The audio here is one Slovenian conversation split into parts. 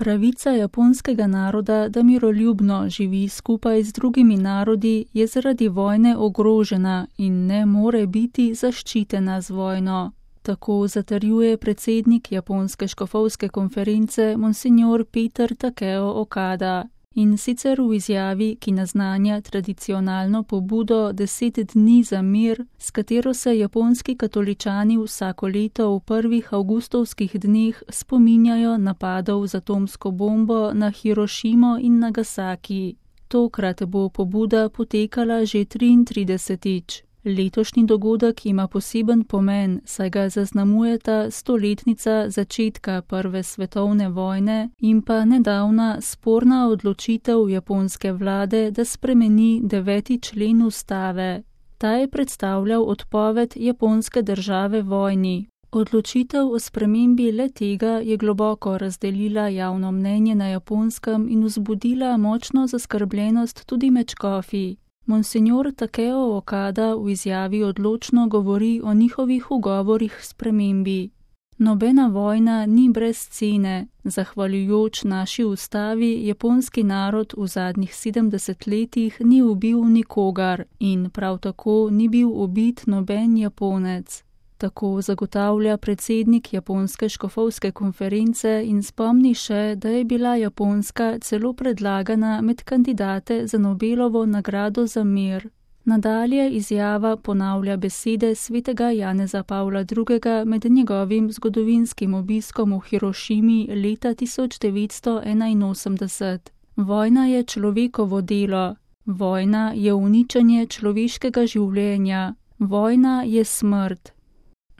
Pravica japonskega naroda, da miroljubno živi skupaj z drugimi narodi, je zaradi vojne ogrožena in ne more biti zaščitena z vojno. Tako zatrjuje predsednik Japonske škofovske konference Monsignor Peter Takeo Okada. In sicer v izjavi, ki naznanja tradicionalno pobudo 10 dni za mir, s katero se japonski katoličani vsako leto v prvih avgustovskih dneh spominjajo napadov z atomsko bombo na Hirošimo in Nagasaki. Tokrat bo pobuda potekala že 33. Letošnji dogodek ima poseben pomen, saj ga zaznamujeta 100-letnica začetka Prve svetovne vojne in pa nedavna sporna odločitev japonske vlade, da spremeni 9. člen ustave. Ta je predstavljal odpoved japonske države vojni. Odločitev o spremembi le-tega je globoko razdelila javno mnenje na Japonskem in vzbudila močno zaskrbljenost tudi med škofi. Monsignor Takeo Okada v izjavi odločno govori o njihovih ugovorih spremembi. Nobena vojna ni brez cene. Zahvaljujoč naši ustavi, japonski narod v zadnjih 70 letih ni ubil nikogar in prav tako ni bil ubit noben Japonec. Tako zagotavlja predsednik Japonske škofovske konference in spomni še, da je bila Japonska celo predlagana med kandidate za Nobelovo nagrado za mir. Nadalje izjava ponavlja besede svetega Janeza Pavla II. Med njegovim zgodovinskim obiskom v Hirošimi leta 1981. Vojna je človekovo delo. Vojna je uničenje človeškega življenja. Vojna je smrt.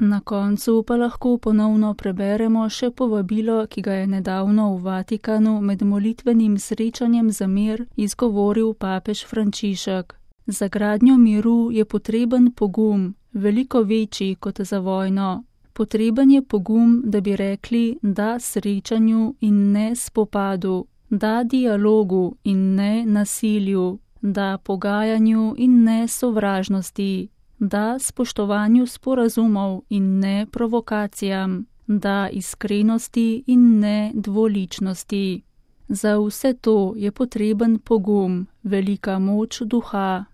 Na koncu pa lahko ponovno preberemo še povabilo, ki ga je nedavno v Vatikanu med molitvenim srečanjem za mir izgovoril papež Frančišek. Za gradnjo miru je potreben pogum, veliko večji kot za vojno. Potreben je pogum, da bi rekli da srečanju in ne spopadu, da dialogu in ne nasilju, da pogajanju in ne sovražnosti, da spoštovanju sporazumov in ne provokacijam, da iskrenosti in ne dvoličnosti. Za vse to je potreben pogum, velika moč duha.